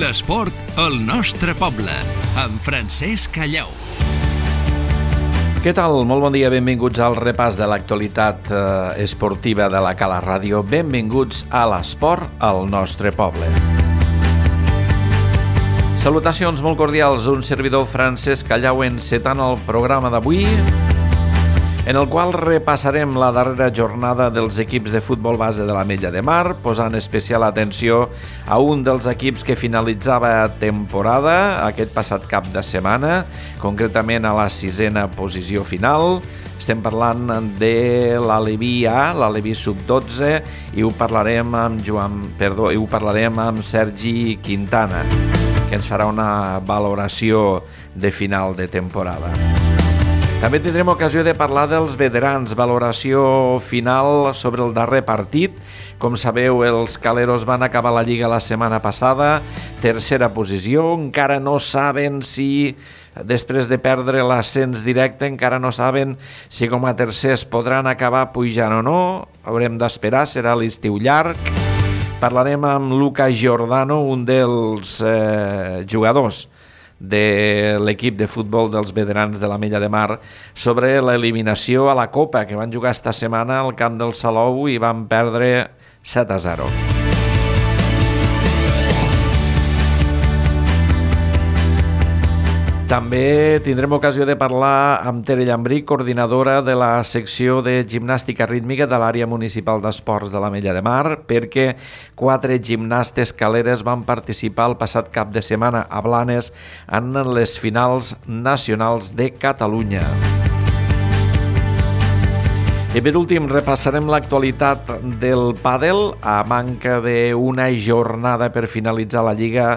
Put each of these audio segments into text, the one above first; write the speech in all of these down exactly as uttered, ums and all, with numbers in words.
L'esport al nostre poble, amb Francesc Callau. Què tal? Molt bon dia, benvinguts al repàs de l'actualitat eh, esportiva de la Cala Ràdio. Benvinguts a l'esport al nostre poble. Salutacions molt cordials, un servidor Francesc Callau encetant el programa d'avui, en el qual repassarem la darrera jornada dels equips de futbol base de l'Ametlla de Mar, posant especial atenció a un dels equips que finalitzava temporada aquest passat cap de setmana, concretament a la sisena posició final. Estem parlant de l'Aleví A, l'Aleví sub dotze, i ho parlarem amb Joan, perdó, i ho parlarem amb Sergi Quintana, que ens farà una valoració de final de temporada. També tindrem ocasió de parlar dels veterans, valoració final sobre el darrer partit. Com sabeu, els caleros van acabar la Lliga la setmana passada, tercera posició, encara no saben si, després de perdre l'ascens directe, encara no saben si com a tercers podran acabar pujant o no. Haurem d'esperar, serà l'estiu llarg. Parlarem amb Luca Giordano, un dels eh, jugadors de l'equip de futbol dels veterans de l'Ametlla de Mar, sobre l'eliminació a la Copa que van jugar esta setmana al camp del Salou i van perdre set a zero. També tindrem ocasió de parlar amb Tere Llambrí, coordinadora de la secció de gimnàstica rítmica de l'àrea municipal d'esports de l'Ametlla de Mar, perquè quatre gimnastes caleres van participar el passat cap de setmana a Blanes en les finals nacionals de Catalunya. I per últim repassarem l'actualitat del pàdel a manca d'una jornada per finalitzar la Lliga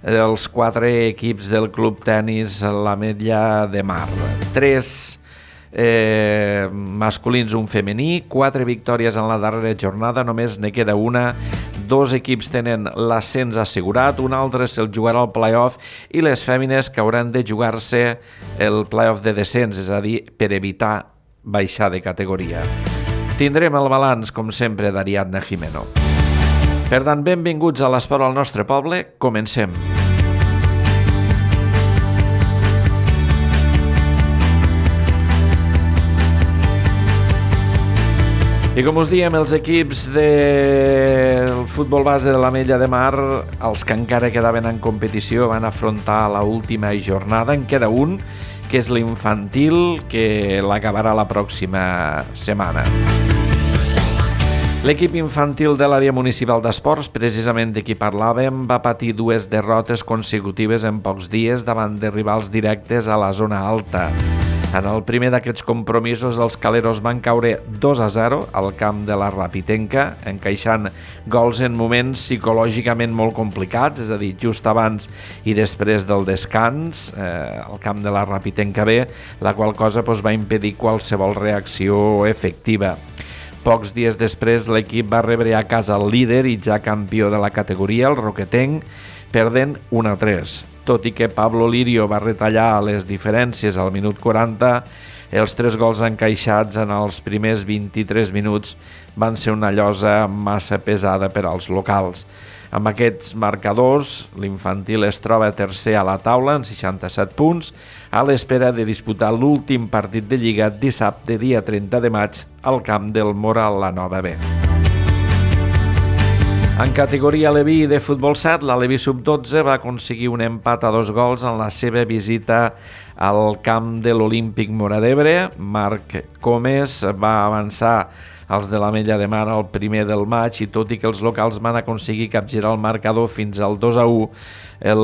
dels quatre equips del Club Tenis l'Ametlla de Mar. Tres eh, masculins, un femení, quatre victòries en la darrera jornada, només ne queda una. Dos equips tenen l'ascens assegurat, un altre se'l jugarà al play-off i les fèmines que hauran de jugar-se el play-off de descens, és a dir, per evitar baixar de categoria. Tindrem el balanç, com sempre, d'Ariadna Jimeno. Per tant, benvinguts a l'esport al nostre poble. Comencem. I com us diem, els equips del futbol base de l'Ametlla de Mar, els que encara quedaven en competició, van afrontar l'última jornada. En queda un, que és l'infantil, que l'acabarà la pròxima setmana. L'equip infantil de l'àrea municipal d'esports, precisament de qui parlàvem, va patir dues derrotes consecutives en pocs dies davant de rivals directes a la zona alta. En el primer d'aquests compromisos, els caleros van caure dos a zero al camp de la Rapitenca, encaixant gols en moments psicològicament molt complicats, és a dir, just abans i després del descans, eh, al camp de la Rapitenca B, la qual cosa doncs, va impedir qualsevol reacció efectiva. Pocs dies després, l'equip va rebre a casa el líder i ja campió de la categoria, el Roquetenc, perdent un a tres. Tot i que Pablo Lirio va retallar les diferències al minut quaranta, els tres gols encaixats en els primers vint-i-tres minuts van ser una llosa massa pesada per als locals. Amb aquests marcadors, l'infantil es troba tercer a la taula en seixanta-set punts, a l'espera de disputar l'últim partit de Lliga dissabte, dia trenta de maig, al camp del Moral la Nova B. En categoria Aleví de futbol set, l'Aleví sub dotze va aconseguir un empat a dos gols en la seva visita al camp de l'Olímpic Móra d'Ebre. Marc Comes va avançar els de l'Ametlla de Mar al primer del maig i tot i que els locals van aconseguir capgirar el marcador fins al dos a u, el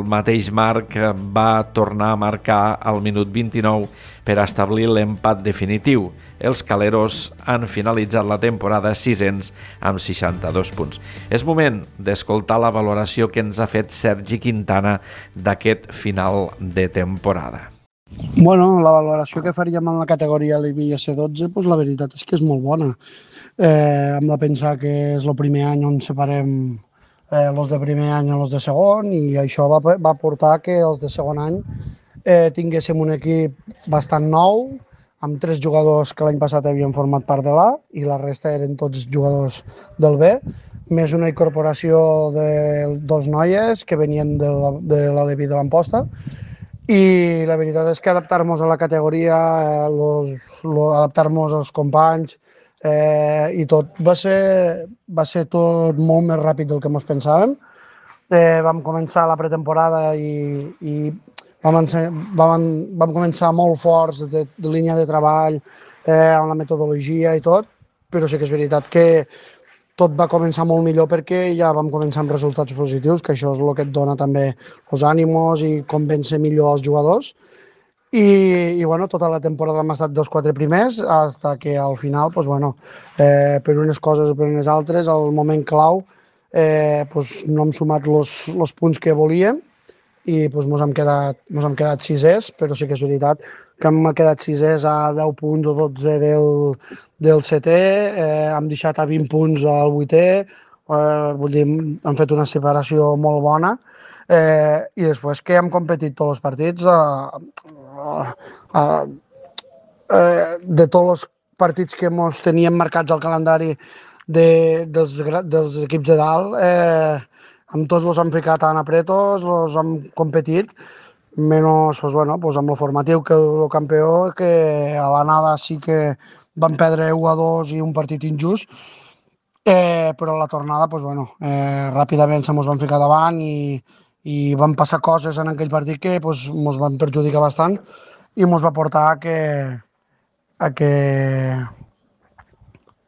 mateix Marc va tornar a marcar al minut vint-i-nou per establir l'empat definitiu. Els caleros han finalitzat la temporada sisens amb seixanta-dos punts. És moment d'escoltar la valoració que ens ha fet Sergi Quintana d'aquest final de temporada. Bueno, la valoració que faríem en la categoria Aleví C dotze, pues la veritat és que és molt bona. Eh, hem de pensar que és el primer any on separem eh, els de primer any i els de segon, i això va, va portar que els de segon any eh, tinguéssim un equip bastant nou, amb tres jugadors que l'any passat havien format part de l'A i la resta eren tots jugadors del B, més una incorporació de dos noies que venien de la, de la Levi de l'Amposta. I la veritat és que adaptar-nos a la categoria, eh, los, lo, adaptar-nos als companys eh, i tot va ser, va ser tot molt més ràpid del que ens pensàvem. Eh, vam començar la pretemporada i, i vam, vam, vam començar molt forts de, de línia de treball, eh, amb la metodologia i tot, però sí que és veritat que tot va començar molt millor perquè ja vam començar amb resultats positius, que això és el que et dona també els ànimos i convèncer millor els jugadors. I, i bueno, tota la temporada hem estat dels quatre primers, fins que al final, pues, bueno, eh, per unes coses o per unes altres, al moment clau, eh, pues, no hem sumat els punts que volíem i pues, mos hem quedat, mos hem quedat sisers, però sí que és veritat que hem quedat sisers a deu punts o dotze del, del setè, eh, hem deixat a vint punts al vuitè, eh, vull dir, hem fet una separació molt bona, eh, i després que hem competit tots els partits, eh, eh, eh, de tots els partits que ens teníem marcats al calendari de, dels, dels equips de dalt, eh, amb tots els hem ficat tan apretos, els hem competit, menys pues, bueno, pues, amb el formatiu que el campió, que a l'anada sí que van perdre u a dos i un partit injust, eh, però a la tornada pues, bueno, eh, ràpidament se mos van ficar davant i, i van passar coses en aquell partit que pues, mos van perjudicar bastant i mos va portar a que a que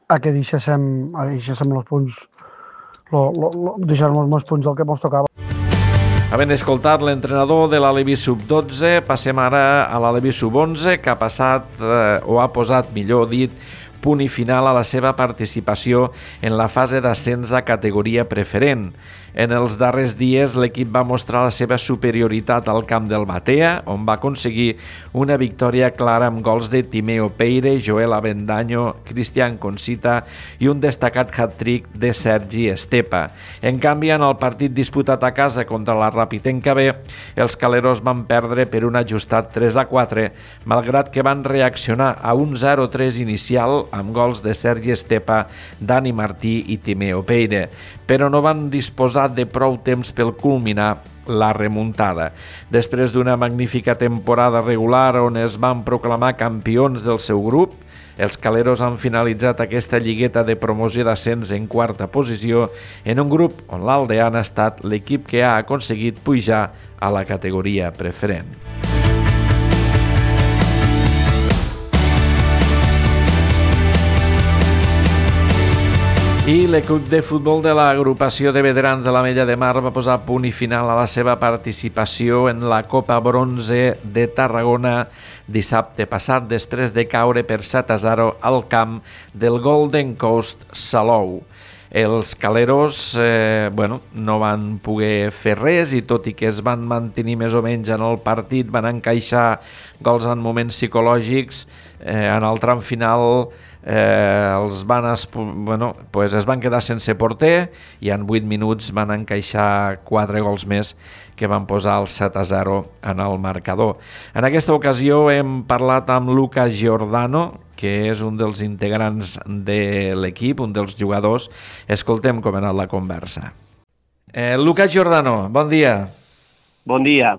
a que deixéssim, a deixéssim els punts, lo, lo, lo, deixar-nos els punts del que mos tocava. Havent escoltat l'entrenador de l'Alevi sub dotze, passem ara a l'Alevi sub onze, que ha passat, eh, o ha posat, millor dit, punt i final a la seva participació en la fase d'ascens a categoria preferent. En els darrers dies l'equip va mostrar la seva superioritat al camp del Batea, on va aconseguir una victòria clara amb gols de Timeo Peire, Joel Avendaño, Cristian Concita i un destacat hat-trick de Sergi Estepa. En canvi, en el partit disputat a casa contra la Rapitenca B, els caleros van perdre per un ajustat tres a quatre, malgrat que van reaccionar a un zero tres inicial amb gols de Sergi Estepa, Dani Martí i Timeo Peire, però no van disposar de prou temps per culminar la remuntada. Després d'una magnífica temporada regular on es van proclamar campions del seu grup, els caleros han finalitzat aquesta lligueta de promoció d'ascens en quarta posició en un grup on l'Aldean ha estat l'equip que ha aconseguit pujar a la categoria preferent. I l'equip de futbol de l'agrupació de veterans de l'Ametlla de Mar va posar punt i final a la seva participació en la Copa Bronze de Tarragona dissabte passat, després de caure per set a zero al camp del Golden Coast Salou. Els caleros eh, bueno, no van poder fer res i tot i que es van mantenir més o menys en el partit, van encaixar gols en moments psicològics, eh, en el tram final eh, els van bueno, pues es van quedar sense porter i en vuit minuts van encaixar quatre gols més que van posar el set a zero en el marcador. En aquesta ocasió hem parlat amb Lucas Giordano, que és un dels integrants de l'equip, un dels jugadors. Escoltem com ha anat la conversa. Eh, Lucas Giordano, bon dia. Bon dia.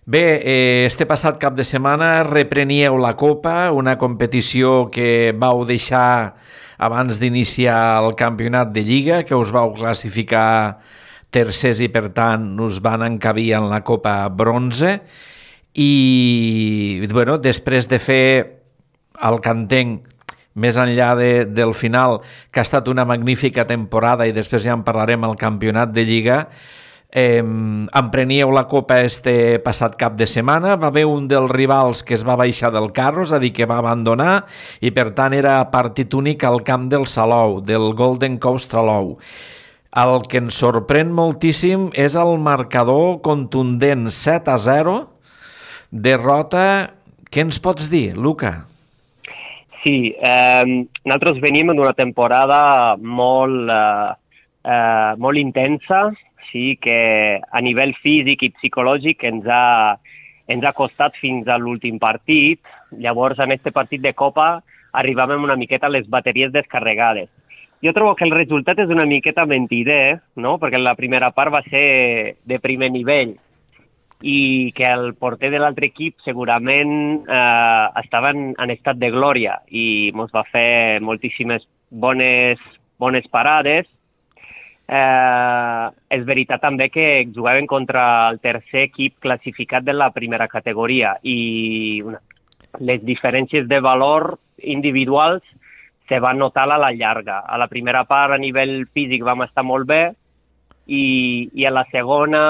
Bé, eh, este passat cap de setmana repreníeu la Copa, una competició que vau deixar abans d'iniciar el campionat de Lliga, que us vau classificar tercers i per tant us van encabir en la Copa Bronze i bueno, després de fer el que entenc més enllà de, del final, que ha estat una magnífica temporada i després ja en parlarem al campionat de Lliga, eh, empreníeu la Copa este passat cap de setmana, va haver un dels rivals que es va baixar del carro, és a dir, que va abandonar i per tant era partit únic al camp del Salou, del Golden Coast Salou. El que ens sorprèn moltíssim és el marcador contundent set a zero, derrota. Què ens pots dir, Luca? Sí, eh, nosaltres venim d'una temporada molt, eh, eh, molt intensa, sí, que a nivell físic i psicològic ens ha, ens ha costat fins a l'últim partit. Llavors, en aquest partit de Copa, arribàvem una miqueta a les bateries descarregades. Jo trobo que el resultat és una miqueta mentider, no? Perquè la primera part va ser de primer nivell i que el porter de l'altre equip segurament eh, estava en, en estat de glòria i ens va fer moltíssimes bones, bones parades. Eh, és veritat també que jugaven contra el tercer equip classificat de la primera categoria i una, les diferències de valor individuals se van notar a la llarga. A la primera part, a nivell físic, vam estar molt bé i, i a la segona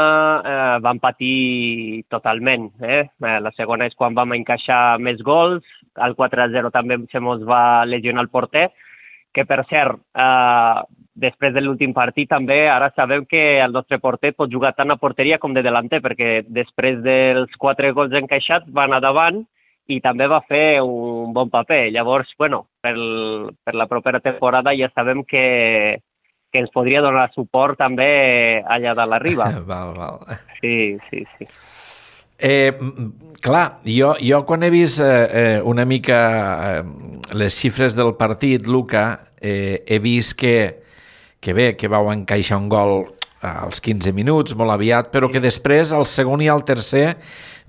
eh, vam patir totalment. Eh? La segona és quan vam encaixar més gols, al quatre a zero també se mos va lesionar el porter, que per cert, eh, després de l'últim partit també ara sabem que el nostre porter pot jugar tant a porteria com de delanter, perquè després dels quatre gols encaixats va anar davant i també va fer un bon paper. Llavors, bueno, per, per la propera temporada ja sabem que, que ens podria donar suport també allà de la riba. Val, val. Sí, sí, sí. Eh, clar, jo, jo quan he vist eh, una mica eh, les xifres del partit, Luca, eh, he vist que, que bé, que vau encaixar un gol als quinze minuts, molt aviat, però que després, el segon i el tercer,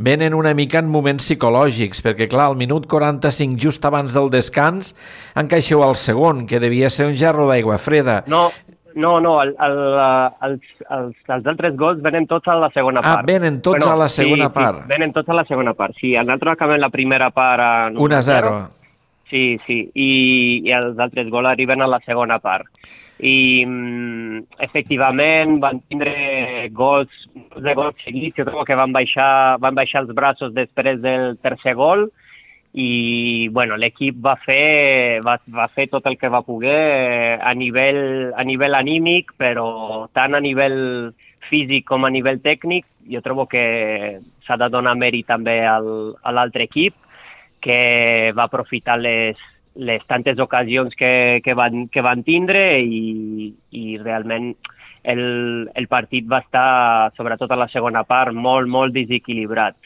venen una mica en moments psicològics, perquè, clar, al minut quaranta-cinc, just abans del descans, encaixeu el segon, que devia ser un gerro d'aigua freda. No, no, no, el, el, els, els, els altres gols venen tots a la segona part. Ah, venen tots bueno, a la segona sí, part. Sí, venen tots a la segona part, sí. Nosaltres acabem la primera part a un a zero. Sí, sí, i, i els altres gols arriben a la segona part. I mm, efectivament van tindre gols, de gols seguits, jo trobo que van baixar, van baixar els braços després del tercer gol i bueno, l'equip va fer, va, va fer tot el que va poder a nivell, a nivell anímic, però tant a nivell físic com a nivell tècnic. Jo trobo que s'ha de donar mèrit també al, a l'altre equip, que va aprofitar les les tantes ocasions que, que, van, que van tindre i, i realment el, el partit va estar, sobretot a la segona part, molt, molt desequilibrat.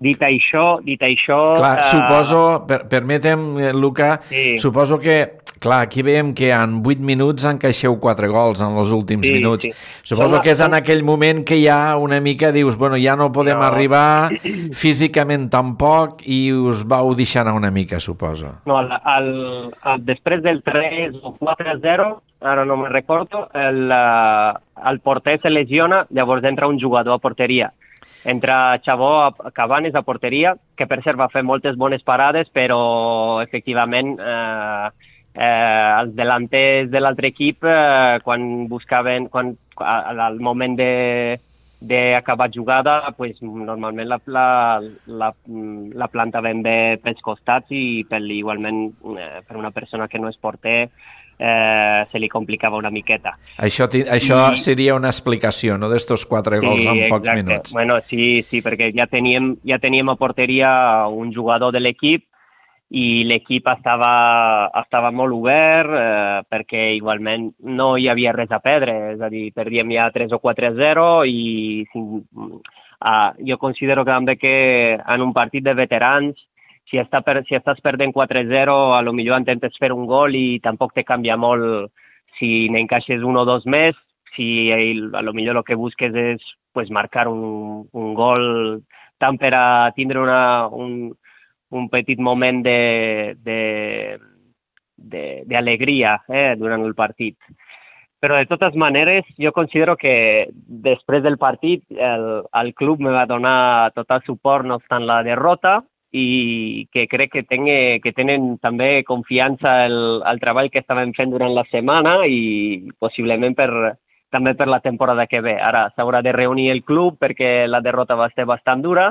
Dit això... Dit això clar, eh... suposo, per, permetem, Luca, sí. Suposo que, clar, aquí veiem que en vuit minuts encaixeu quatre gols en els últims sí, minuts. Sí. Suposo som, que és som... en aquell moment que ja una mica dius, bueno, ja no podem no. arribar físicament tampoc i us vau deixar anar una mica, suposo. No, el, el, el, després del tres o quatre a zero, ara no me'n recordo, el, el porter se lesiona, llavors entra un jugador a porteria. Entra Xabó Cabanes a porteria, que per cert va fer moltes bones parades, però efectivament eh, eh, els delanters de l'altre equip, eh, quan buscaven, quan, al moment de d'acabar jugada, pues, normalment la, la, la, la plantaven bé pels costats i per, igualment eh, per una persona que no és porter Eh, se li complicava una miqueta. Això, això I... seria una explicació, no?, d'estos quatre sí, gols en exacte. pocs minuts. Bueno, sí, sí, perquè ja teníem, ja teníem a porteria un jugador de l'equip i l'equip estava, estava molt obert eh, perquè igualment no hi havia res a perdre, és a dir, perdíem ja tres o quatre a zero i uh, jo considero que també que en un partit de veterans Si, està per, si estàs perdent quatre a zero, a lo millor intentes fer un gol i tampoc te canvia molt si n'encaixes un o dos més, si a lo millor el que busques és pues, marcar un, un gol tant per a tindre una, un, un petit moment d'alegria eh, durant el partit. Però de totes maneres, jo considero que després del partit el, el club me va donar tot el suport, no obstant la derrota, i que crec que, tengue, que tenen també confiança el, el treball que estàvem fent durant la setmana i possiblement per, també per la temporada que ve. Ara s'haurà de reunir el club perquè la derrota va ser bastant dura,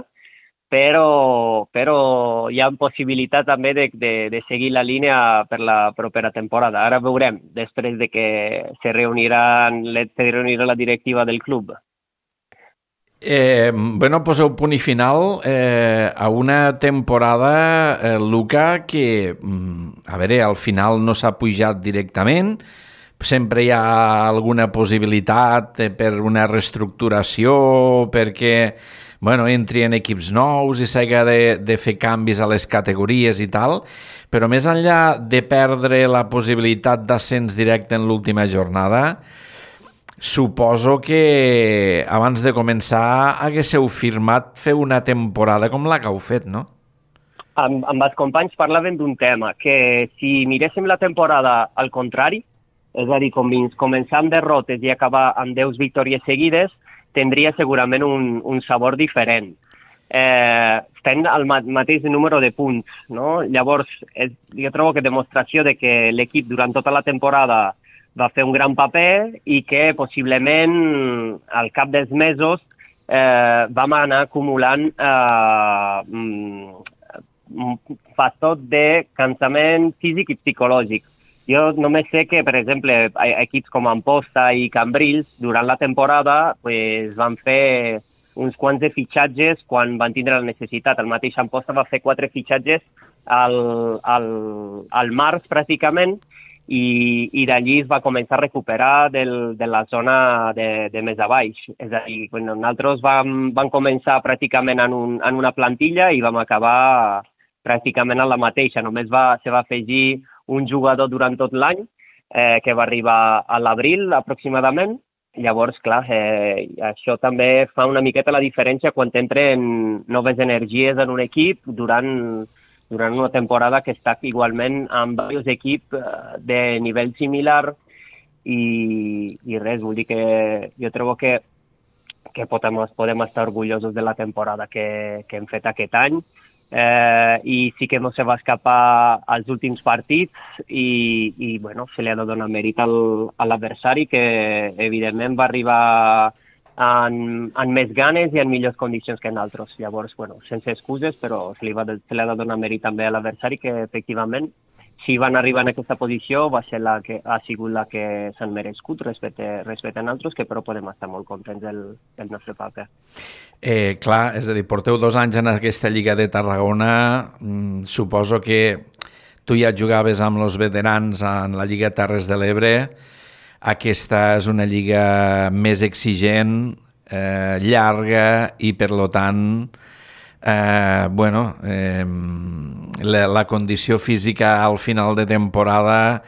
però, però hi ha possibilitat també de, de, de seguir la línia per la propera temporada. Ara veurem, després de que se reunirà, se reunirà la directiva del club. Eh, bueno, poseu punt i final eh, a una temporada, eh, Luca, que, a veure, al final no s'ha pujat directament, sempre hi ha alguna possibilitat per una reestructuració, perquè bueno, entri en equips nous i s'haga de, de fer canvis a les categories i tal, però més enllà de perdre la possibilitat d'ascens directe en l'última jornada, suposo que abans de començar haguéssiu firmat fer una temporada com la que heu fet, no? Amb, amb els companys parlaven d'un tema, que si miréssim la temporada al contrari, és a dir, com començar amb derrotes i acabar amb deu victòries seguides, tindria segurament un, un sabor diferent. Eh, estem al mateix número de punts, no? Llavors, és, jo trobo que demostració de que l'equip durant tota la temporada va fer un gran paper i que possiblement al cap dels mesos eh, vam anar acumulant eh, un factor de cansament físic i psicològic. Jo només sé que, per exemple, equips com Amposta i Cambrils, durant la temporada, pues, van fer uns quants de fitxatges quan van tindre la necessitat. El mateix Amposta va fer quatre fitxatges al, al, al març, pràcticament, i, i d'allí es va començar a recuperar del, de la zona de, de més a baix. És a dir, bueno, nosaltres vam, vam començar pràcticament en, un, en una plantilla i vam acabar pràcticament a la mateixa. Només va, se va afegir un jugador durant tot l'any, eh, que va arribar a l'abril aproximadament. Llavors, clar, eh, això també fa una miqueta la diferència quan entren noves energies en un equip durant, durant una temporada que està igualment amb diversos equips eh, de nivell similar i, i res, vull dir que jo trobo que, que podem, podem estar orgullosos de la temporada que, que hem fet aquest any. Eh, i sí que no se va escapar als últims partits i, i bueno, se li ha de donar mèrit al, a l'adversari que evidentment va arribar en, en més ganes i en millors condicions que nosaltres. Llavors, bueno, sense excuses, però se li, va de, se li ha de donar mèrit també a l'adversari que efectivament si van arribar en aquesta posició va ser la que ha sigut la que s'han merescut respecte, respecte a nosaltres, que però podem estar molt contents del, del nostre paper. Eh, clar, és a dir, porteu dos anys en aquesta Lliga de Tarragona, mm, suposo que tu ja jugaves amb els veterans en la Lliga Terres de l'Ebre, aquesta és una lliga més exigent, eh, llarga i per lo tant eh, bueno, eh, la, la condició física al final de temporada,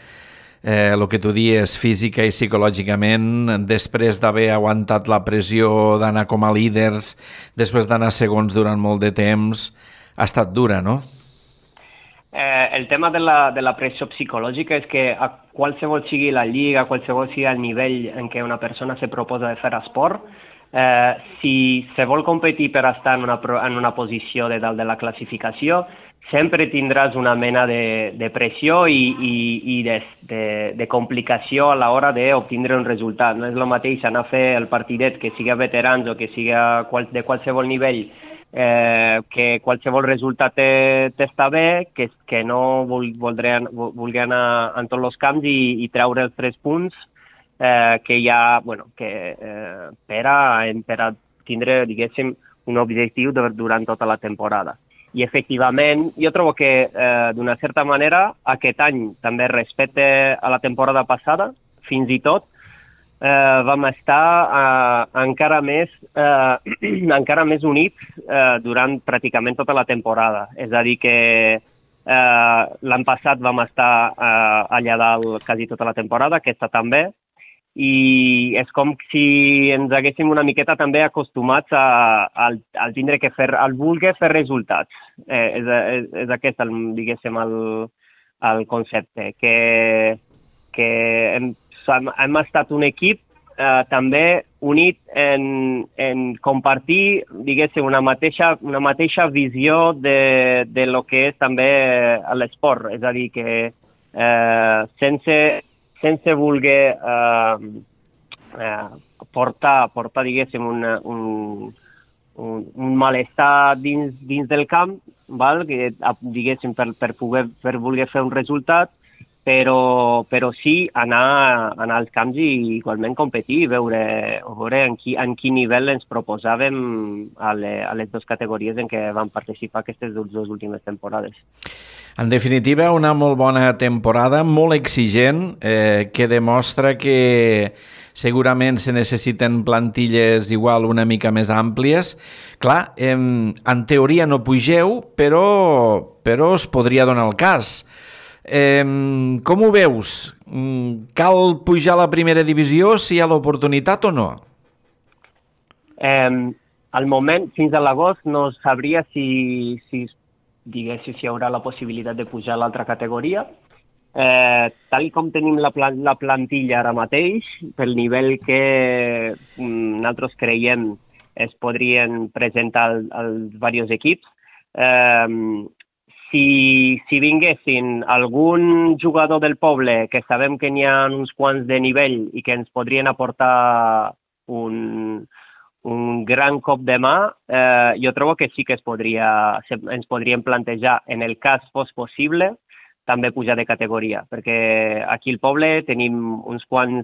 eh, el que tu dius física i psicològicament, després d'haver aguantat la pressió d'anar com a líders, després d'anar segons durant molt de temps, ha estat dura, no? Eh, el tema de la, de la pressió psicològica és que a qualsevol sigui la lliga, qualsevol sigui el nivell en què una persona se proposa de fer esport, eh, si se vol competir per estar en una, en una posició de dalt de la classificació, sempre tindràs una mena de, de pressió i, i, i de, de, de complicació a l'hora d'obtindre un resultat. No és el mateix anar a fer el partidet que siga veterans o que siga qual, de qualsevol nivell, eh, que qualsevol resultat t'està bé, que, que no voldré, voldré anar en tots els camps i, i treure els tres punts eh, que hi ha, bueno, que, eh, per, a, per a tindre, diguéssim, un objectiu durant tota la temporada. I efectivament, jo trobo que eh, d'una certa manera aquest any també respecte a la temporada passada, fins i tot, eh, vam estar eh, encara més eh, encara més units eh, durant pràcticament tota la temporada. És a dir que eh, l'any passat vam estar eh, allà dalt quasi tota la temporada, aquesta també, i és com si ens haguéssim una miqueta també acostumats a, a, a tindre que fer, al voler fer resultats. Eh, és, és, és aquest, el, diguéssim, el, el concepte, que, que hem, hem estat un equip eh, també unit en, en compartir, diguéssim, una mateixa, una mateixa visió de, de lo que és també l'esport. És a dir, que eh, sense... sense voler eh, eh, portar, portar diguéssim, una, un, un, un malestar dins, dins del camp, val? Que, diguéssim, per, per, poder, per voler fer un resultat, però, però sí anar, anar als camps i igualment competir, veure, veure en, qui, en quin nivell ens proposàvem a, le, a les dues categories en què vam participar aquestes dues últimes temporades. En definitiva, una molt bona temporada, molt exigent, eh, que demostra que segurament se necessiten plantilles igual una mica més àmplies. Clar, eh, en teoria no pugeu, però, però es podria donar el cas. Eh, com ho veus? Cal pujar a la primera divisió si hi ha l'oportunitat o no? Eh, al moment, fins a l'agost, no sabria si, si diguéssim, si hi haurà la possibilitat de pujar a l'altra categoria. Eh, tal com tenim la, pla la plantilla ara mateix, pel nivell que mm, nosaltres creiem es podrien presentar al, als diversos equips, eh, si, si vinguessin algun jugador del poble que sabem que n'hi ha uns quants de nivell i que ens podrien aportar un... un gran cop de mà, eh, jo trobo que sí que es podria, ens podríem plantejar, en el cas fos possible, també pujar de categoria, perquè aquí al poble tenim uns quants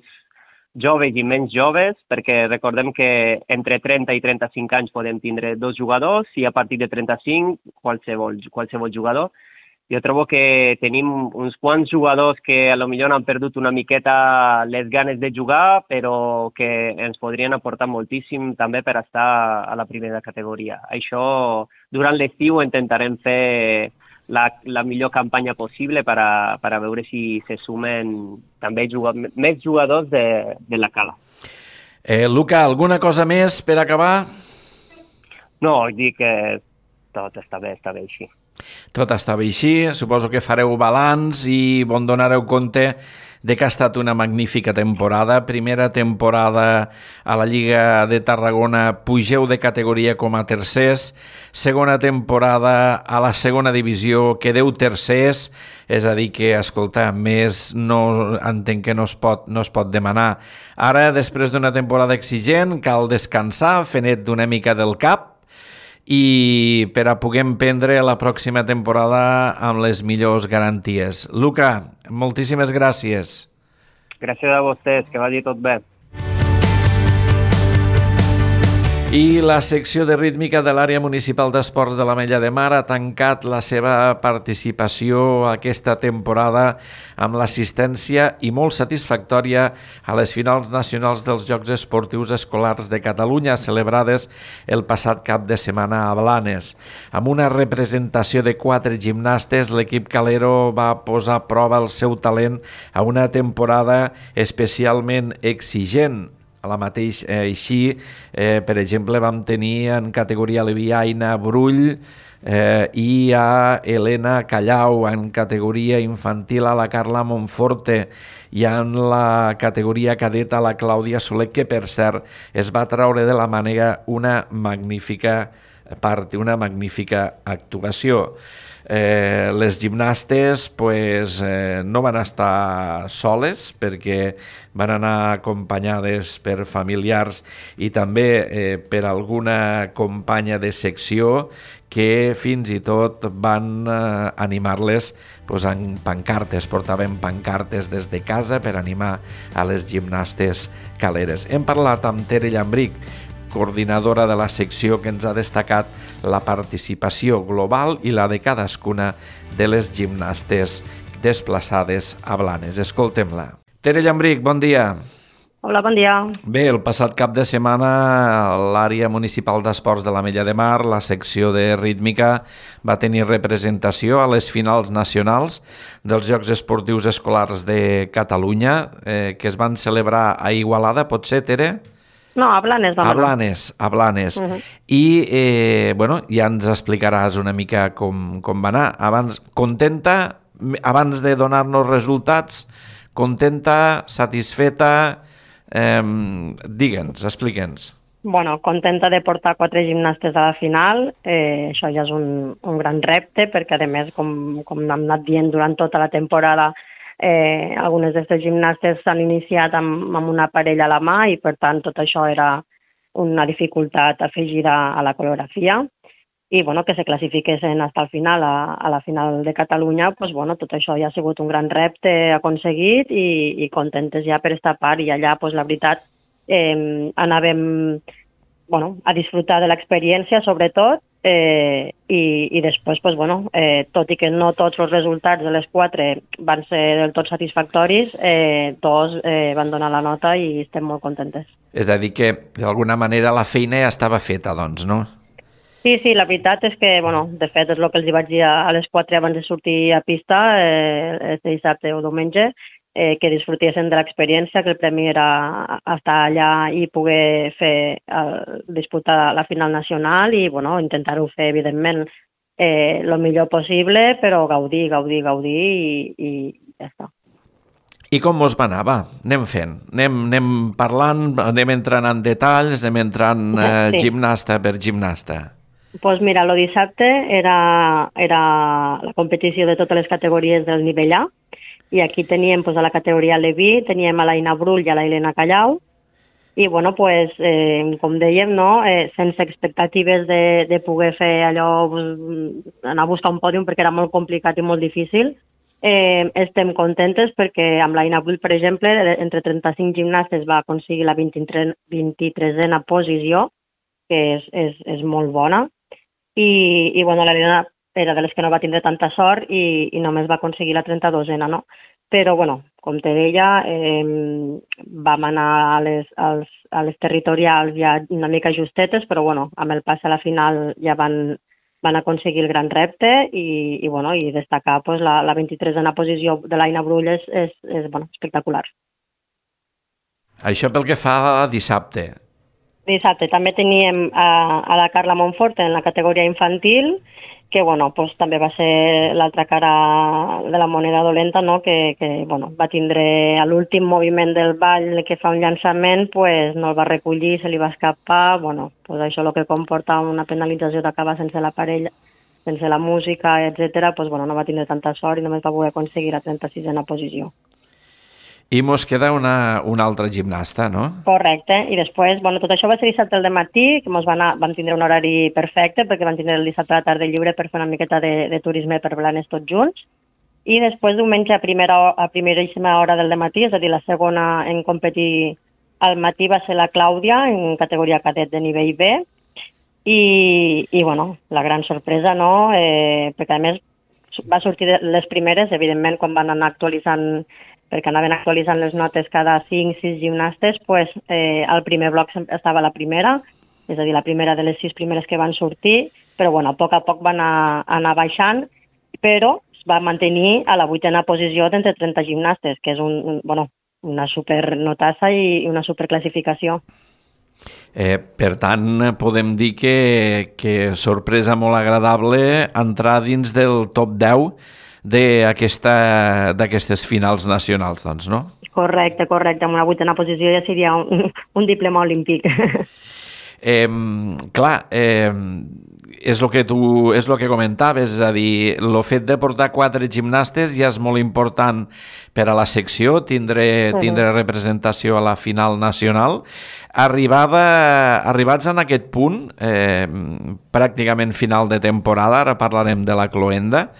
joves i menys joves, perquè recordem que entre trenta i trenta-cinc anys podem tindre dos jugadors i a partir de trenta-cinc qualsevol, qualsevol jugador. Jo trobo que tenim uns quants jugadors que a lo millor han perdut una miqueta les ganes de jugar, però que ens podrien aportar moltíssim també per estar a la primera categoria. Això, durant l'estiu intentarem fer la, la millor campanya possible per a, per a veure si se sumen també jugadors, més jugadors de, de la cala. Eh, Luca, alguna cosa més per acabar? No, dic que tot està bé, està bé així. Tot estava així, suposo que fareu balanç i bon donareu compte de que ha estat una magnífica temporada. Primera temporada a la Lliga de Tarragona, pugeu de categoria com a tercers. Segona temporada a la segona divisió, quedeu tercers. És a dir que, escolta, més no entenc que no es pot, no es pot demanar. Ara, després d'una temporada exigent, cal descansar, fer net d'una mica del cap, i per a poder emprendre la pròxima temporada amb les millors garanties. Luca, moltíssimes gràcies. Gràcies a vostès, que vagi tot bé. I la secció de rítmica de l'àrea municipal d'esports de l'Ametlla de Mar ha tancat la seva participació aquesta temporada amb l'assistència i molt satisfactòria a les finals nacionals dels Jocs Esportius Escolars de Catalunya, celebrades el passat cap de setmana a Blanes. Amb una representació de quatre gimnastes, l'equip calero va posar a prova el seu talent a una temporada especialment exigent. A la mateix, eh, així, eh, per exemple, vam tenir en categoria Leviaina Brull eh, i a Helena Callau, en categoria infantil a la Carla Monforte i en la categoria cadeta a la Clàudia Soler, que per cert es va traure de la mànega una magnífica part, una magnífica actuació. Eh, les gimnastes pues, eh, no van estar soles perquè van anar acompanyades per familiars i també eh, per alguna companya de secció que fins i tot van eh, animar-les pues, en pancartes, portaven pancartes des de casa per animar a les gimnastes caleres. Hem parlat amb Tere Llambric, coordinadora de la secció, que ens ha destacat la participació global i la de cadascuna de les gimnastes desplaçades a Blanes. Escoltem-la. Tere Llambric, bon dia. Hola, bon dia. Bé, el passat cap de setmana l'àrea municipal d'esports de l'Ametlla de Mar, la secció de rítmica, va tenir representació a les finals nacionals dels Jocs Esportius Escolars de Catalunya, eh, que es van celebrar a Igualada, potser, Tere? No, a Blanes vam anar. A Blanes, a Blanes. Uh -huh. I, eh, bueno, ja ens explicaràs una mica com, com va anar. Abans, contenta, abans de donar-nos resultats, contenta, satisfeta, eh, digue'ns, explica'ns. Bueno, contenta de portar quatre gimnastes a la final, eh, això ja és un, un gran repte, perquè a més, com, com hem anat dient durant tota la temporada, Eh, algunes d'aquestes gimnastes s'han iniciat amb, amb una parella a la mà i, per tant, tot això era una dificultat afegida a la coreografia. i bueno, que se classifiquessin fins al final, a, a la final de Catalunya, pues, bueno, tot això ja ha sigut un gran repte aconseguit i, i contentes ja per esta part. I allà, pues, la veritat, eh, anàvem bueno, a disfrutar de l'experiència, sobretot, eh, i, i després, pues, bueno, eh, tot i que no tots els resultats de les quatre van ser del tot satisfactoris, eh, tots eh, van donar la nota i estem molt contentes. És a dir que, d'alguna manera, la feina ja estava feta, doncs, no? Sí, sí, la veritat és que, bueno, de fet, és el que els hi vaig dir a les quatre abans de sortir a pista, eh, este dissabte o diumenge, eh, que disfrutessin de l'experiència, que el premi era estar allà i poder fer, eh, disputar la final nacional i, bueno, intentar-ho fer, evidentment, eh, el millor possible, però gaudir, gaudir, gaudir i, i ja està. I com mos va anar? Va, anem fent. Anem, anem parlant, anem entrant en detalls, anem entrant eh, sí. gimnasta per gimnasta. Doncs pues mira, el dissabte era, era la competició de totes les categories del nivell A, i aquí teníem pues, a la categoria Leví, teníem a l'Aina Brull i a la Helena Callau, i bueno, pues, eh, com dèiem, no? eh, sense expectatives de, de poder fer allò, pues, anar a buscar un pòdium perquè era molt complicat i molt difícil. Eh, estem contentes perquè amb l'Aina Brull, per exemple, entre trenta-cinc gimnastes va aconseguir la vint-i-tresena posició, que és, és, és molt bona. I, i bueno, l'Helena era de les que no va tindre tanta sort i, i només va aconseguir la trenta-dosena, no? Però, bueno, com te deia, eh, vam anar a les, als, a les territorials ja una mica justetes, però, bueno, amb el pas a la final ja van, van aconseguir el gran repte i, i, bueno, i destacar pues, la, la vint-i-tresena posició de l'Aina Brull és, és, és bueno, espectacular. Això pel que fa a dissabte. Dissabte també teníem a, a la Carla Montfort en la categoria infantil, que bueno, pues, també va ser l'altra cara de la moneda dolenta, no? que, que bueno, va tindre a l'últim moviment del ball que fa un llançament, pues, no el va recollir, se li va escapar, bueno, pues, això el que comporta una penalització d'acabar sense l'aparell, sense la música, etcètera, pues, bueno, no va tindre tanta sort i només va poder aconseguir la trenta-sisena posició. I mos queda una, una altra gimnasta, no? Correcte. I després, bueno, tot això va ser dissabte al matí, que mos van, a, van tindre un horari perfecte, perquè van tindre el dissabte a la tarda lliure per fer una miqueta de, de turisme per Blanes tots junts. I després, diumenge, a, primera, a primeríssima hora del matí, és a dir, la segona en competir al matí va ser la Clàudia, en categoria cadet de nivell B. I, i bueno, la gran sorpresa, no? Eh, perquè, a més, va sortir les primeres, evidentment, quan van anar actualitzant perquè anaven actualitzant les notes cada cinc sis gimnastes, pues, eh, el primer bloc estava la primera, és a dir, la primera de les sis primeres que van sortir, però bueno, a poc a poc van anar, anar baixant, però es va mantenir a la vuitena posició d'entre trenta gimnastes, que és un, un, bueno, una supernotassa i una superclassificació. Eh, per tant, podem dir que, que sorpresa molt agradable entrar dins del top deu d'aquestes finals nacionals, doncs, no? Correcte, correcte. Amb una vuitena posició ja seria un, un diploma olímpic. Eh, clar, eh, és el que tu és el que comentaves, és a dir, el fet de portar quatre gimnastes ja és molt important per a la secció, tindre, tindre representació a la final nacional. Arribada, arribats en aquest punt, eh, pràcticament final de temporada, ara parlarem de la cloenda,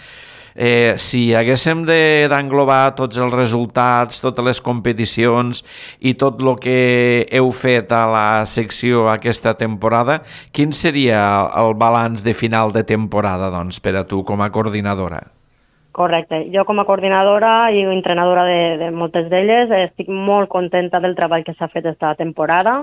Eh, si haguéssim d'englobar tots els resultats, totes les competicions i tot el que heu fet a la secció aquesta temporada, quin seria el balanç de final de temporada, doncs, per a tu com a coordinadora? Correcte. Jo com a coordinadora i entrenadora de, de moltes d'elles estic molt contenta del treball que s'ha fet aquesta temporada.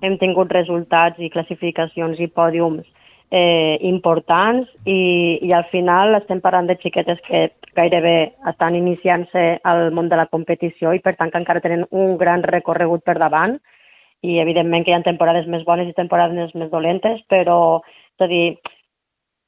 Hem tingut resultats i classificacions i pòdiums Eh, importants i, i al final estem parlant de xiquetes que gairebé estan iniciant-se al món de la competició i per tant que encara tenen un gran recorregut per davant i evidentment que hi ha temporades més bones i temporades més dolentes, però és a dir,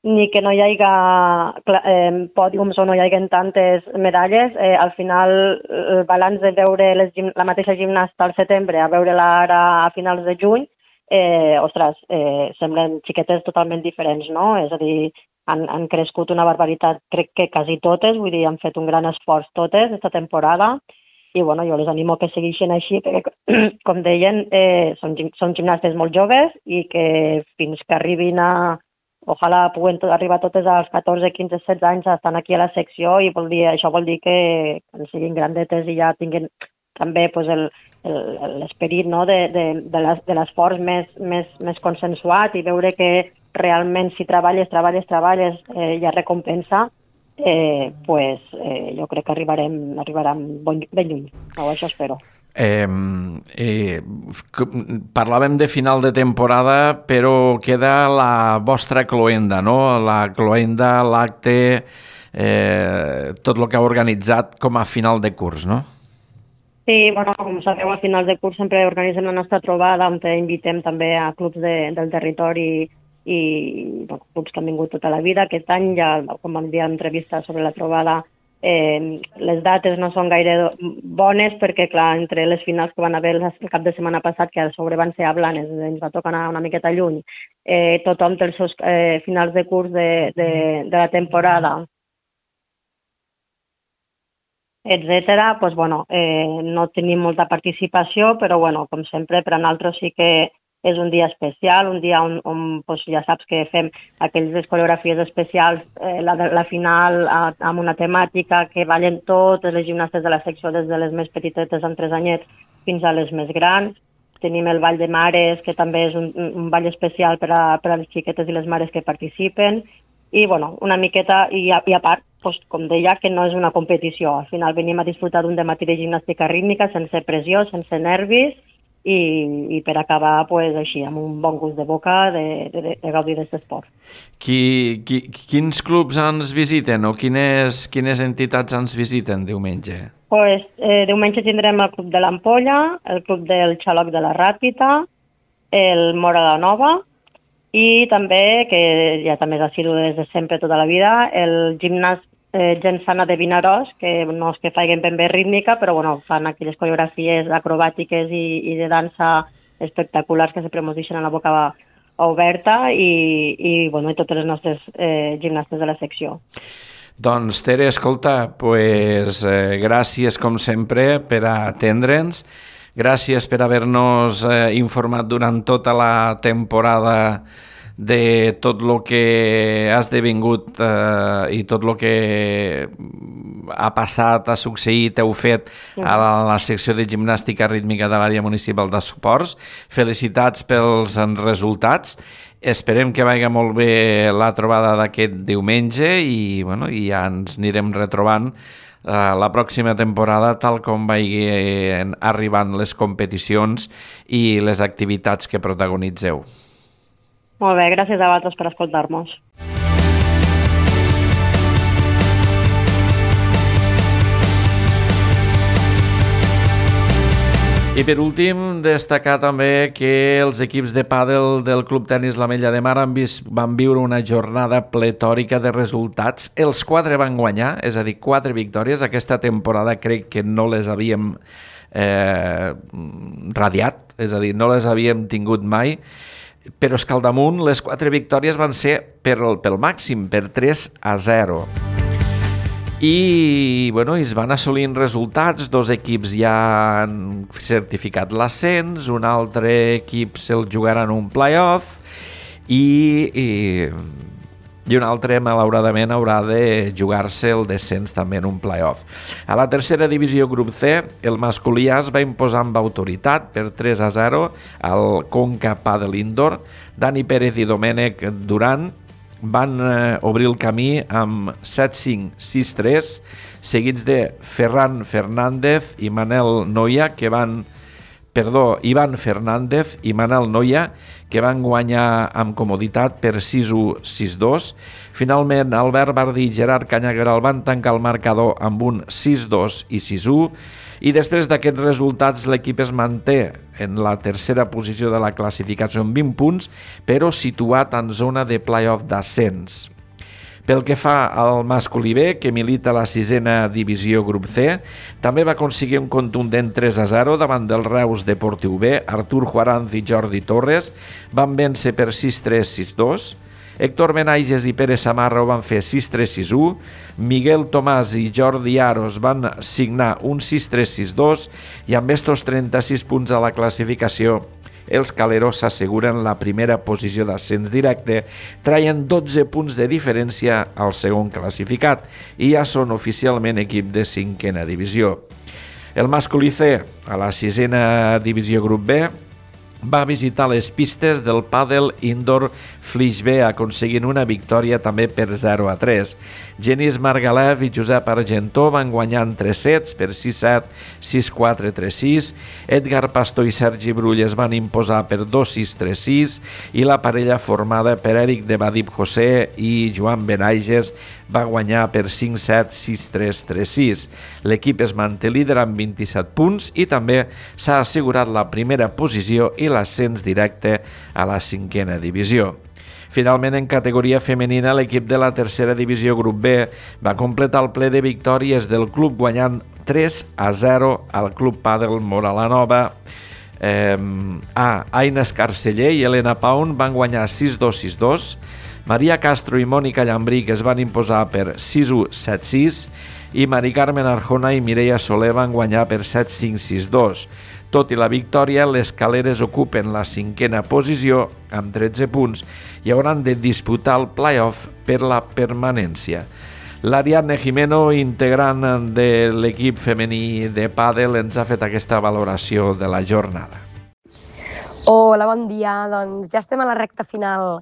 ni que no hi hagi eh, pòdiums o no hi hagi tantes medalles, eh, al final el balanç de veure les, la mateixa gimnasta al setembre a veure-la ara a finals de juny, Eh, ostres, eh, semblen xiquetes totalment diferents, no? És a dir, han, han crescut una barbaritat, crec que quasi totes, vull dir, han fet un gran esforç totes aquesta temporada i bueno, jo les animo que segueixin així perquè, com deien, eh, són, són gimnastes molt joves i que fins que arribin a, ojalà puguen tot, arribar totes als catorze, quinze, setze anys estan aquí a la secció i vol dir, això vol dir que quan siguin grandetes i ja tinguin també pues, el, el, l'esperit no, de, de, de, les, de l'esforç més, més, més consensuat i veure que realment si treballes, treballes, treballes, eh, hi ha recompensa, eh, pues, eh, jo crec que arribarem, arribarem ben, ben lluny. No, això espero. Eh, eh, parlàvem de final de temporada, però queda la vostra cloenda, no? La cloenda, l'acte, eh, tot el que ha organitzat com a final de curs, no? Sí, bueno, com sabeu, a finals de curs sempre organitzem la nostra trobada on invitem també a clubs de, del territori i bueno, clubs que han vingut tota la vida. Aquest any, ja, com vam dir a l'entrevista sobre la trobada, eh, les dates no són gaire bones perquè, clar, entre les finals que van haver el cap de setmana passat, que a sobre van ser a Blanes, ens va tocar anar una miqueta lluny, eh, tothom té els seus eh, finals de curs de, de, de la temporada, etcètera, pues, bueno, eh, no tenim molta participació, però bueno, com sempre, per a nosaltres sí que és un dia especial, un dia on, on pues, ja saps que fem aquelles coreografies especials, eh, la, la final a, amb una temàtica que ballen totes les gimnastes de la secció, des de les més petitetes amb tres anyets fins a les més grans. Tenim el ball de mares, que també és un, un ball especial per a, per a les xiquetes i les mares que participen. I, bueno, una miqueta, i a, i a part, pues, com deia, que no és una competició. Al final venim a disfrutar d'un dematí de gimnàstica rítmica sense pressió, sense nervis, i, i per acabar, pues, així, amb un bon gust de boca de, de, de gaudir d'aquest esport. Qui, qui, quins clubs ens visiten o quines, quines entitats ens visiten diumenge? Pues, eh, diumenge tindrem el Club de l'Ampolla, el Club del Xaloc de la Ràpita, el Mora la Nova, i també, que ja també és assidu des de sempre tota la vida, el gimnàs eh, Gent Sana de Vinaròs, que no és que facin ben bé rítmica, però bueno, fan aquelles coreografies acrobàtiques i, i de dansa espectaculars que sempre ens deixen a la boca oberta i, i, bueno, i totes les nostres eh, gimnastes de la secció. Doncs, Tere, escolta, pues, eh, gràcies com sempre per atendre'ns. Gràcies per haver-nos eh, informat durant tota la temporada de tot el que ha esdevingut eh, i tot el que ha passat, ha succeït, heu fet a la, a la secció de gimnàstica rítmica de l'àrea municipal d'esports. Felicitats pels resultats. Esperem que vagi molt bé la trobada d'aquest diumenge i, bueno, i ja ens anirem retrobant la pròxima temporada tal com vagin arribant les competicions i les activitats que protagonitzeu. Molt bé, gràcies a vosaltres per escoltar-nos. I per últim, destacar també que els equips de pàdel del Club Tenis l'Ametlla de Mar han vist, van viure una jornada pletòrica de resultats. Els quatre van guanyar, és a dir, quatre victòries. Aquesta temporada crec que no les havíem eh, radiat, és a dir, no les havíem tingut mai, però és que al damunt les quatre victòries van ser per, pel màxim, per tres a zero. I, bueno, es van assolint resultats, dos equips ja han certificat l'ascens, un altre equip se'l jugaran un play-off i, i, i un altre, malauradament, haurà de jugar-se el descens també en un play-off. A la tercera divisió grup C, el masculí A es va imposar amb autoritat per tres a zero al Conca Padel Indoor. Dani Pérez i Domènec Duran van eh, obrir el camí amb set cinc sis tres, seguits de Ferran Fernández i Manel Noia, que van, perdó, Ivan Fernández i Manel Noia, que van guanyar amb comoditat per sis u sis dos. Finalment, Albert Bardí i Gerard Canyagueral van tancar el marcador amb un sis dos i sis u, i després d'aquests resultats l'equip es manté en la tercera posició de la classificació amb vint punts, però situat en zona de play-off d'ascens. Pel que fa al masculí B, que milita a la sisena divisió grup C, també va aconseguir un contundent tres a zero davant del Reus Deportiu B. Artur Juaranz i Jordi Torres van vèncer per sis tres sis dos. Héctor Benaiges i Pere Samarra ho van fer sis tres sis u, Miguel Tomàs i Jordi Aros van signar un sis tres sis dos i amb estos trenta-sis punts a la classificació els Caleros s'asseguren la primera posició d'ascens directe, traient dotze punts de diferència al segon classificat i ja són oficialment equip de cinquena divisió. El masculí C, a la sisena divisió grup B, va visitar les pistes del pàdel indoor Flix B, aconseguint una victòria també per zero a tres. Genís Margalef i Josep Argentó van guanyar en tres sets per sis set, sis quatre, tres sis. Edgar Pastor i Sergi Brull es van imposar per dos sis, tres sis i la parella formada per Eric de Badib José i Joan Benaiges va guanyar per cinc set, sis tres, tres sis. L'equip es manté líder amb vint-i-set punts i també s'ha assegurat la primera posició i l'ascens directe a la cinquena divisió. Finalment, en categoria femenina, l'equip de la tercera divisió grup B va completar el ple de victòries del club guanyant tres a zero al Club Pàdel Moralanova. Eh, a Aina Escarceller i Helena Paun van guanyar sis dos, sis dos. Maria Castro i Mònica Llambrí es van imposar per sis u, set sis i Mari Carmen Arjona i Mireia Soler van guanyar per set cinc, sis dos. Tot i la victòria, les Caleres ocupen la cinquena posició amb tretze punts i hauran de disputar el play-off per la permanència. L'Ariadne Jimeno, integrant de l'equip femení de pàdel, ens ha fet aquesta valoració de la jornada. Hola, bon dia. Doncs ja estem a la recta final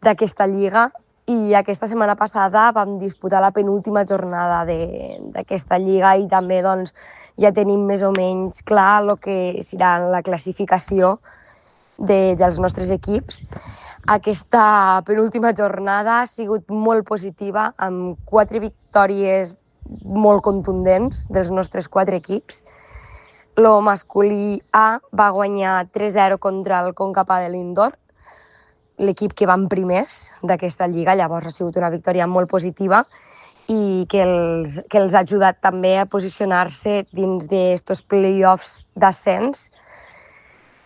d'aquesta lliga i aquesta setmana passada vam disputar la penúltima jornada d'aquesta lliga i també doncs, ja tenim més o menys clar el que serà la classificació de, dels nostres equips. Aquesta penúltima jornada ha sigut molt positiva, amb quatre victòries molt contundents dels nostres quatre equips. El masculí A va guanyar tres zero contra el Conca Pàdel Indoor, l'equip que van primers d'aquesta lliga, llavors ha sigut una victòria molt positiva i que els, que els ha ajudat també a posicionar-se dins d'aquests play-offs d'ascens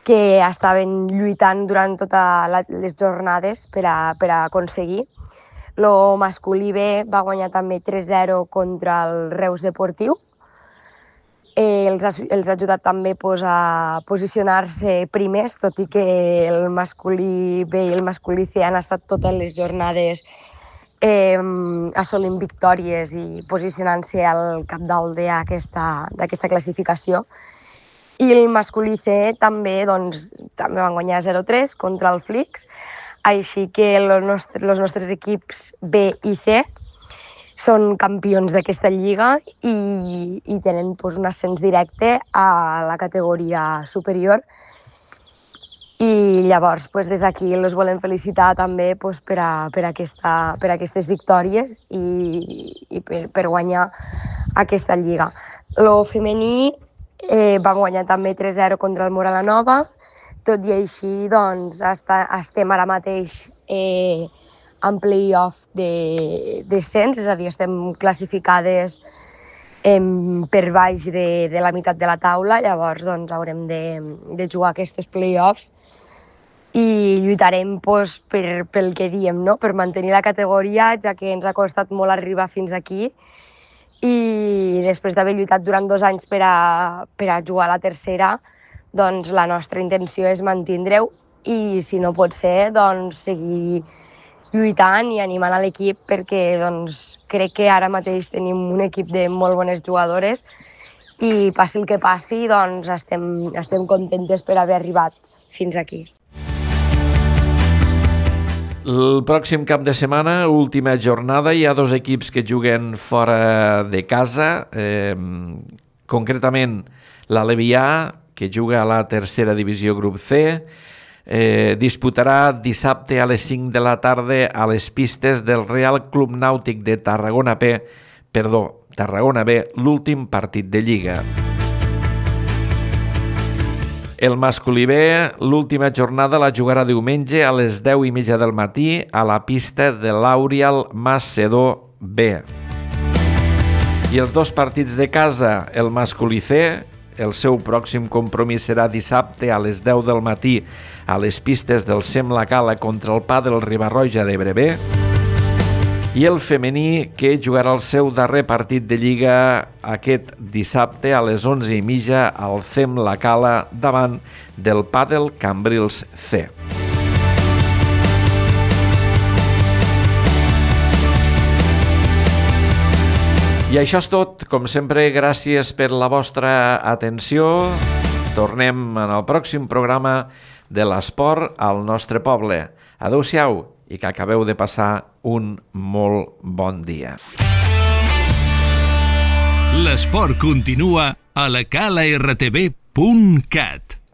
que estaven lluitant durant totes les jornades per a, per a aconseguir. El masculí B va guanyar també tres zero contra el Reus Deportiu. Eh, els, ha, els ha ajudat també pues, a posicionar-se primers, tot i que el masculí B i el masculí C han estat totes les jornades Eh, assolint victòries i posicionant-se al capdalt d'aquesta classificació. I el masculí C també, doncs, també van guanyar zero tres contra el Flix, així que els nostres, els nostres equips B i C són campions d'aquesta lliga i, i tenen doncs, un ascens directe a la categoria superior. I llavors, pues, des d'aquí els volem felicitar també pues, per, a, per, a aquesta, per a aquestes victòries i, i per, per guanyar aquesta lliga. El femení eh, va guanyar també tres zero contra el Moralanova, tot i així doncs, està, estem ara mateix eh, en play-off de descens, és a dir, estem classificades eh, per baix de, de la meitat de la taula, llavors doncs, haurem de, de jugar aquests play-offs i lluitarem pues, per, pel que diem, no? Per mantenir la categoria, ja que ens ha costat molt arribar fins aquí i després d'haver lluitat durant dos anys per a, per a jugar a la tercera, doncs la nostra intenció és mantindre-ho i si no pot ser, doncs seguir lluitant i animant a l'equip perquè doncs, crec que ara mateix tenim un equip de molt bones jugadores i passi el que passi, doncs estem, estem contentes per haver arribat fins aquí. El pròxim cap de setmana, última jornada, hi ha dos equips que juguen fora de casa, eh, concretament l'Alevià, que juga a la tercera divisió grup C, eh, disputarà dissabte a les cinc de la tarda a les pistes del Real Club Nàutic de Tarragona P, perdó, Tarragona B, l'últim partit de Lliga. El masculí B, l'última jornada la jugarà diumenge a les deu i mitja del matí a la pista de l'Aurial Macedó B. I els dos partits de casa, el masculí C, el seu pròxim compromís serà dissabte a les deu del matí a les pistes del Sem La Cala contra el Pàdel Riba-roja d'Ebre B. i el femení, que jugarà el seu darrer partit de Lliga aquest dissabte a les onze i mitja al C E M La Cala davant del Pàdel Cambrils C. I això és tot. Com sempre, gràcies per la vostra atenció. Tornem en el pròxim programa de l'esport al nostre poble. Adéu-siau i que acabeu de passar un molt bon dia. L'esport continua a la cala r t v punt cat.